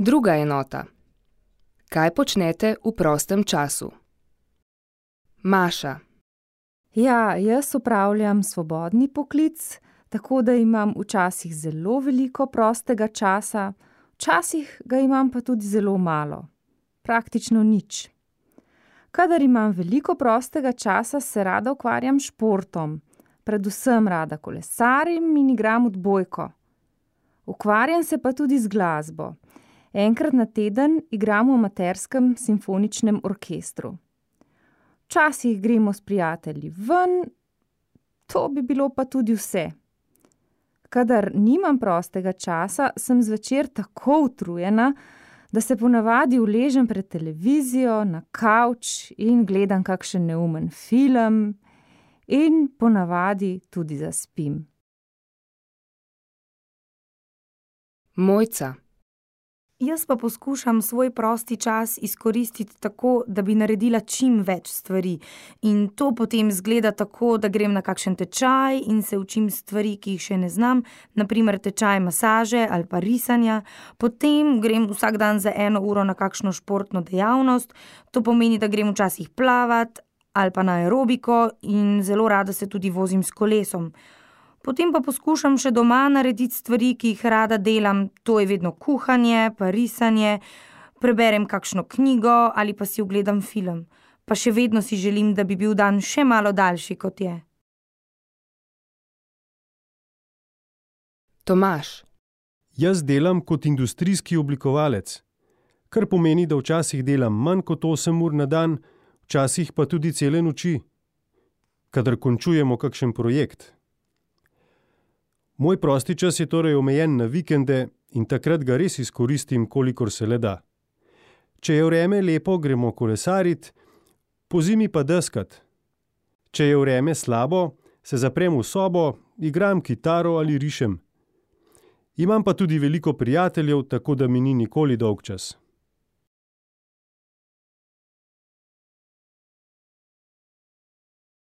Druga enota. Kaj počnete v prostem času? Maša. Ja, jaz opravljam svobodni poklic, tako da imam včasih zelo veliko prostega časa, včasih ga imam pa tudi zelo malo, praktično nič. Kadar imam veliko prostega časa, se rada ukvarjam s športom, predvsem rada kolesarim in igram odbojko. Ukvarjam se pa tudi z glasbo. Enkrat na teden igram v amaterskem simfoničnem orkestru. Včasih gremo s prijatelji ven, to bi bilo pa tudi vse. Kadar nimam prostega časa, sem zvečer tako utrujena, da se ponavadi uležem pred televizijo, na kavč in gledam kakšen neumen film in ponavadi tudi zaspim. Mojca. Jaz pa poskušam svoj prosti čas izkoristiti tako, da bi naredila čim več stvari. In to potem izgleda tako, da grem na kakšen tečaj in se učim stvari, ki jih še ne znam, na primer tečaj masaže ali pa risanja. Potem grem vsak dan za 1 uro na kakšno športno dejavnost, to pomeni, da grem včasih plavat ali pa na aerobiko in zelo rada se tudi vozim s kolesom. Potem pa poskušam še doma narediti stvari, ki jih rada delam, to je vedno kuhanje, pa risanje, preberem kakšno knjigo ali pa si ogledam film. Pa še vedno si želim, da bi bil dan še malo daljši, kot je. Tomaž. Jaz delam kot industrijski oblikovalec, kar pomeni, da včasih delam manj kot 8 ur na dan, včasih pa tudi cele noči, kadar končujemo kakšen projekt. Moj prosti čas je torej omejen na vikende in takrat ga res izkoristim, kolikor se le da. Če je vreme lepo, gremo kolesarit, pozimi pa deskat. Če je vreme slabo, se zaprem v sobo, igram kitaro ali rišem. Imam pa tudi veliko prijateljev, tako da mi ni nikoli dolgčas.